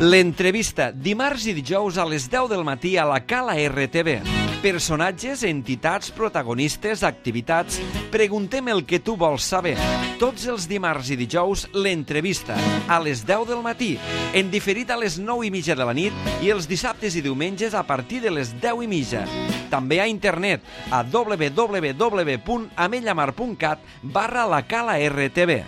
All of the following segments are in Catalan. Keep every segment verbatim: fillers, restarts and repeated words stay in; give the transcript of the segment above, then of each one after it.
L'entrevista, dimarts i dijous a les deu del matí a la Cala R T V. Personatges, entitats, protagonistes, activitats... Preguntem el que tu vols saber. Tots els dimarts i dijous, l'entrevista, a les deu del matí, en diferit a les nou i mitja de la nit i els dissabtes i diumenges a partir de les deu i mitja. També a internet, a w w w punt amellamar punt cat barra la Cala R T V.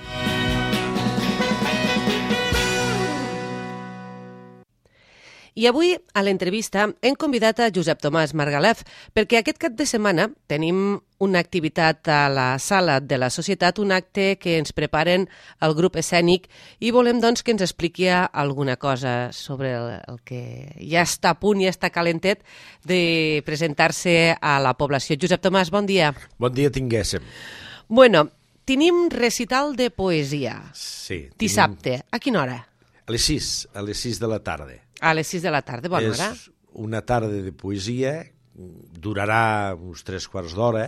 I avui, a l'entrevista, hem convidat a Josep Tomàs Margalef perquè aquest cap de setmana tenim una activitat a la sala de la Societat, un acte que ens preparen el grup escènic i volem doncs que ens expliqui alguna cosa sobre el, el que ja està a punt, ja està calentet de presentar-se a la població. Josep Tomàs, bon dia. Bon dia tinguéssim. Bueno, tenim recital de poesia. Sí. Dissabte. A quina hora? A les sis, a les sis de la tarda. A les sis de la tarda, bona hora. És una tarda de poesia, durarà uns tres quarts d'hora,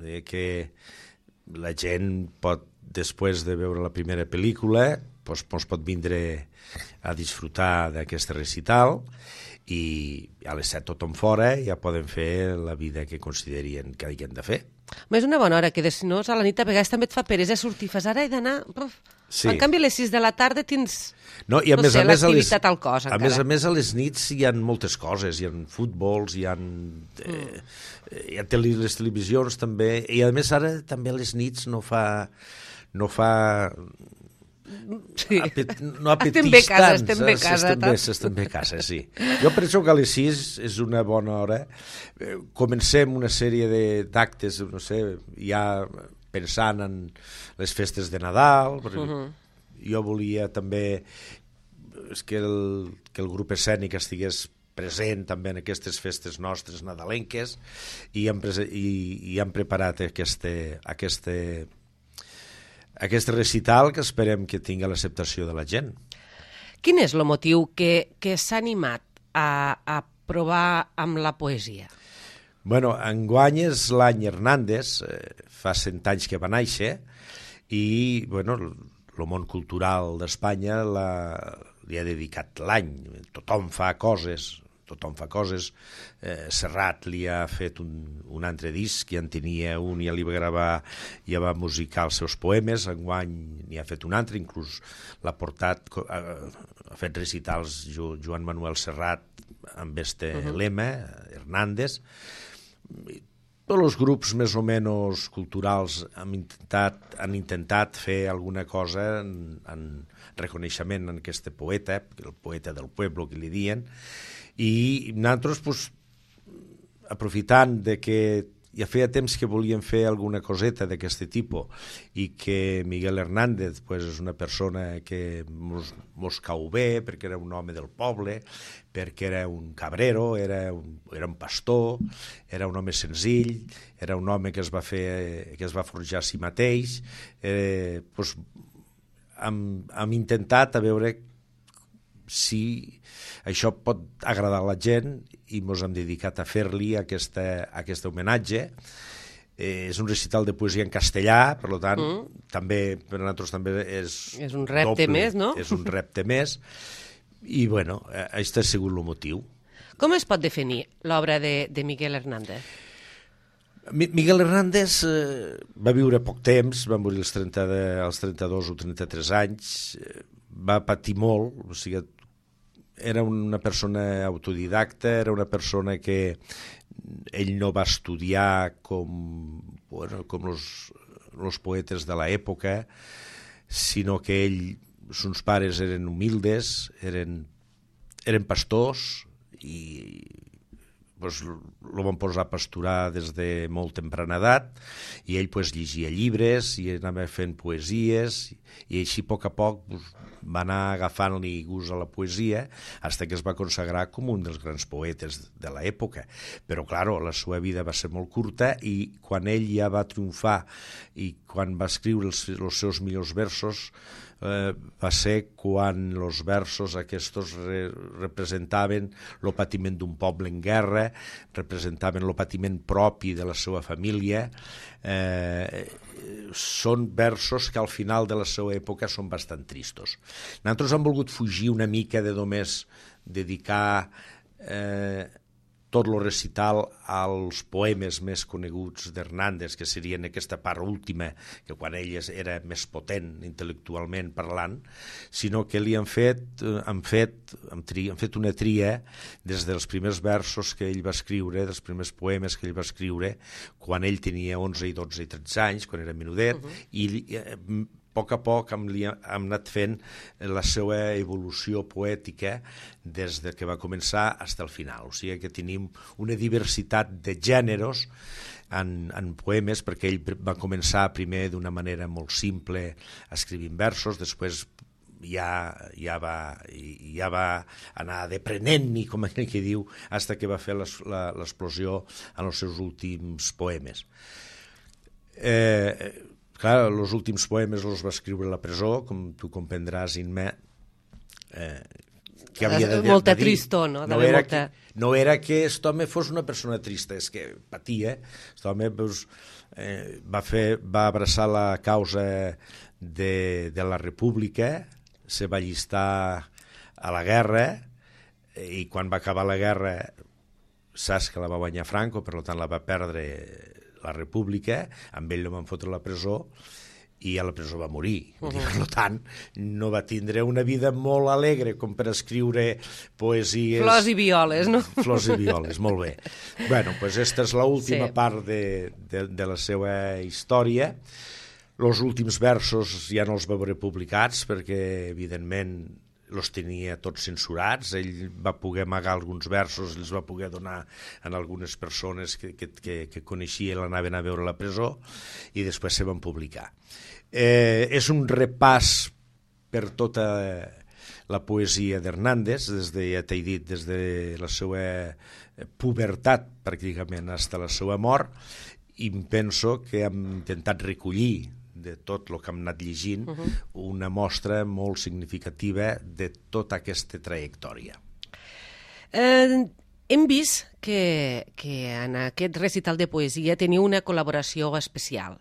eh, que la gent pot, després de veure la primera pel·lícula, doncs, doncs pot vindre a disfrutar d'aquest recital i a les set tothom fora ja poden fer la vida que considerien que hagin de fer. Però és una bona hora, que de si no, a la nit a vegades també et fa peresa sortir, fas ara he d'anar... Sí. En canvi, a les sis de la tarda tens, no, i a no més, sé, a més, l'activitat al cos, a encara. més a més, a les nits hi ha moltes coses, hi ha futbols, hi ha, eh, mm. hi ha tele, les televisions també, i a més ara també a les nits no fa... No fa sí. apet, no apetís estem bé a casa, tants, estem bé a casa. Estem bé, estem bé a casa, sí. Jo penso que a les sis és una bona hora. Comencem una sèrie d'actes, no sé, ja pensant en les festes de Nadal. Uh -huh. Jo volia també que el, que el grup escènic estigués present també en aquestes festes nostres nadalenques i hem, i, i hem preparat aquesta, aquesta, aquest recital que esperem que tingui l'acceptació de la gent. Quin és el motiu que, que s'ha animat a, a provar amb la poesia? Bueno, enguany és l'any Hernández, eh, fa cent anys que va néixer, i bueno, el món cultural d'Espanya li ha dedicat l'any. Tothom fa coses, tothom fa coses. Eh, Serrat li ha fet un, un altre disc, ja en tenia un, ja li va gravar, ja va musicar els seus poemes, enguany n'hi ha fet un altre, inclús l'ha portat, ha, ha fet recitals jo, Joan Manuel Serrat amb este uh -huh. lema, Hernández. Tots els grups més o menys culturals han intentat, han intentat fer alguna cosa en, en reconeixement en aquest poeta, el poeta del pueblo que li diuen, i nosaltres, pues, aprofitant de que ja feia temps que volíem fer alguna coseta d'aquest tipus i que Miguel Hernández pues, és una persona que mos, mos cau bé perquè era un home del poble, perquè era un cabrero, era un, era un pastor, era un home senzill, era un home que es va fer, que es va forjar a si mateix. Eh, pues, hem, hem intentat a veure si això pot agradar a la gent i ens hem dedicat a fer-li aquesta, aquest homenatge. Eh, és un recital de poesia en castellà, per tant, mm. també per a nosaltres també és és un repte doble, més, no? És un repte més, i bueno, aquest ha sigut el motiu. Com es pot definir l'obra de, de Miguel Hernández? Miguel Hernández eh, va viure poc temps, va morir als, trenta de, als trenta-dos o trenta-tres anys, eh, va patir molt, o sigui, era una persona autodidacta, era una persona que ell no va estudiar com, bueno, com los, los poetes de l'època, sinó que ell, sus pares eren humildes, eren, eren pastors i pues, lo van posar a pasturar des de molt temprana edat i ell pues, llegia llibres i anava fent poesies i així a poc a poc pues, va anar agafant-li gust a la poesia fins que es va consagrar com un dels grans poetes de l'època. Però, clar, la seva vida va ser molt curta i quan ell ja va triomfar i quan va escriure els, els seus millors versos, eh, va ser quan els versos aquests re representaven el patiment d'un poble en guerra, representaven el patiment propi de la seva família. Eh, són versos que al final de la seva època són bastant tristos. Nosaltres hem volgut fugir una mica de només dedicar eh, tot el recital als poemes més coneguts d'Hernández, que serien aquesta part última, que quan ell era més potent intel·lectualment parlant, sinó que li han fet, han fet, han tri, han fet una tria des dels primers versos que ell va escriure, dels primers poemes que ell va escriure, quan ell tenia onze i dotze i tretze anys, quan era menudet, uh-huh. i eh, a poc a poc hem, hem anat fent la seva evolució poètica des de que va començar fins al final. O sigui que tenim una diversitat de gèneres en, en poemes, perquè ell va començar primer d'una manera molt simple escrivint versos, després ja, ja, va, ja va anar deprenent-n'hi, com aquell que diu, fins que va fer l'explosió en els seus últims poemes. Eh... Clar, els últims poemes els va escriure a la presó, com tu comprendràs, Inma, eh, que havia de, molta de dir. Tristor, no? No era, que, no era que aquest home fos una persona trista, és que patia. Aquest home pues, eh, va, fer, va abraçar la causa de, de la República, se va allistar a la guerra, i quan va acabar la guerra saps que la va guanyar Franco, per tant la va perdre la República, amb ell el van fotre a la presó i a la presó va morir. Uh-huh. Per tant, no va tindre una vida molt alegre com per escriure poesies... Flors i violes, no? Flors i violes, molt bé. Bueno, doncs aquesta és l'última sí. part de, de, de la seva història. Els últims versos ja no els va veure publicats perquè, evidentment, els tenia tots censurats. Ell va poder amagar alguns versos, els va poder donar a algunes persones que, que, que, que coneixia i l'anaven a veure a la presó, i després se van publicar. Eh, és un repàs per tota la poesia d'Hernández, des de, ja t'he dit, des de la seva pubertat, pràcticament, fins a la seva mort, i penso que hem intentat recollir de tot el que hem anat llegint, uh-huh. una mostra molt significativa de tota aquesta trajectòria. Eh, hem vist que, que en aquest recital de poesia teniu una col·laboració especial.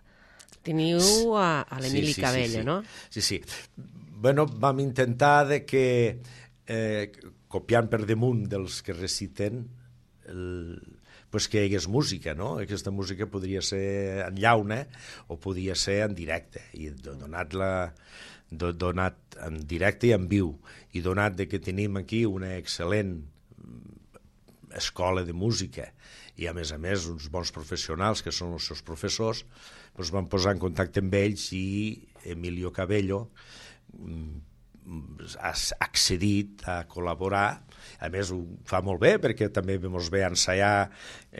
Teniu a, a l'Emili sí, sí, Cabello, sí, sí. no? Sí, sí. Bueno, vam intentar de que, eh, copiant per damunt dels que reciten, el, pues que hi hagués música, no? Aquesta música podria ser en llauna o podia ser en directe, i donat, la, donat en directe i en viu, i donat de que tenim aquí una excel·lent escola de música i a més a més uns bons professionals que són els seus professors, doncs vam posar en contacte amb ells i Emilio Cabello ha accedit a col·laborar. A més, ho fa molt bé, perquè també ens ve a ensaiar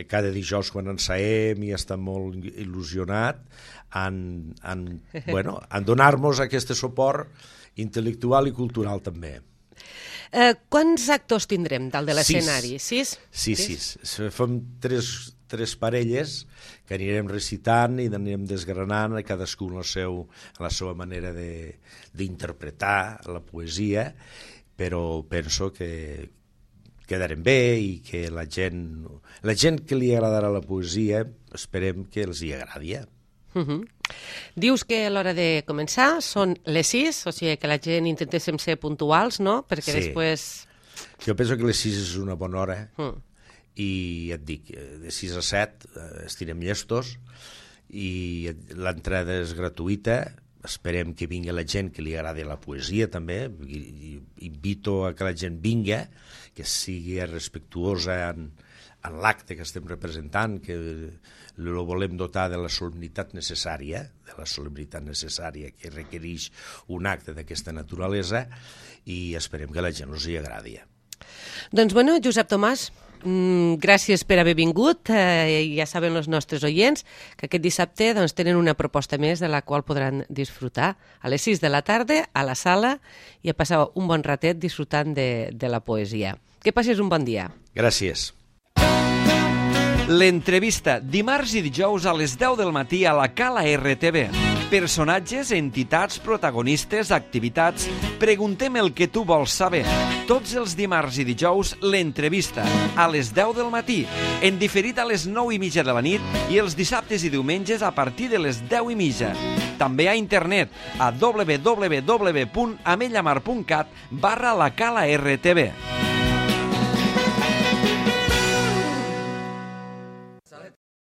cada dijous quan ensaiem i està molt il·lusionat en, en, bueno, en donar-nos aquest suport intel·lectual i cultural també. Eh, quants actors tindrem dalt de l'escenari? Sis? Sis, sis. sis. Fem tres, tres parelles que anirem recitant i anirem desgranant cadascú en la, seu, en la seva manera d'interpretar la poesia, però penso que quedarem bé i que la gent, la gent que li agradarà la poesia esperem que els hi agradi. Uh-huh. Dius que a l'hora de començar són les sis, o sigui que la gent intentéssim ser puntuals, no? Perquè sí. Després... Jo penso que les sis és una bona hora, uh. i et dic, de sis a set estirem llestos i l'entrada és gratuïta. Esperem que vingui la gent que li agradi la poesia també, i invito a que la gent vinga, que sigui respectuosa en, en l'acte que estem representant, que el volem dotar de la solemnitat necessària, de la solemnitat necessària que requereix un acte d'aquesta naturalesa, i esperem que la gent us hi agradi. Doncs bueno, Josep Tomàs, mm, gràcies per haver vingut. Eh, ja saben els nostres oients que aquest dissabte doncs, tenen una proposta més de la qual podran disfrutar a les sis de la tarda a la sala i a passar un bon ratet disfrutant de, de la poesia. Que passis un bon dia. Gràcies. L'entrevista dimarts i dijous a les deu del matí a la Cala R T V. Personatges, entitats, protagonistes, activitats... Preguntem el que tu vols saber. Tots els dimarts i dijous, l'entrevista, a les deu del matí, en diferit a les nou i mitja de la nit i els dissabtes i diumenges a partir de les deu i mitja. També a internet, a w w w punt amellamar punt cat barra la cala R T V.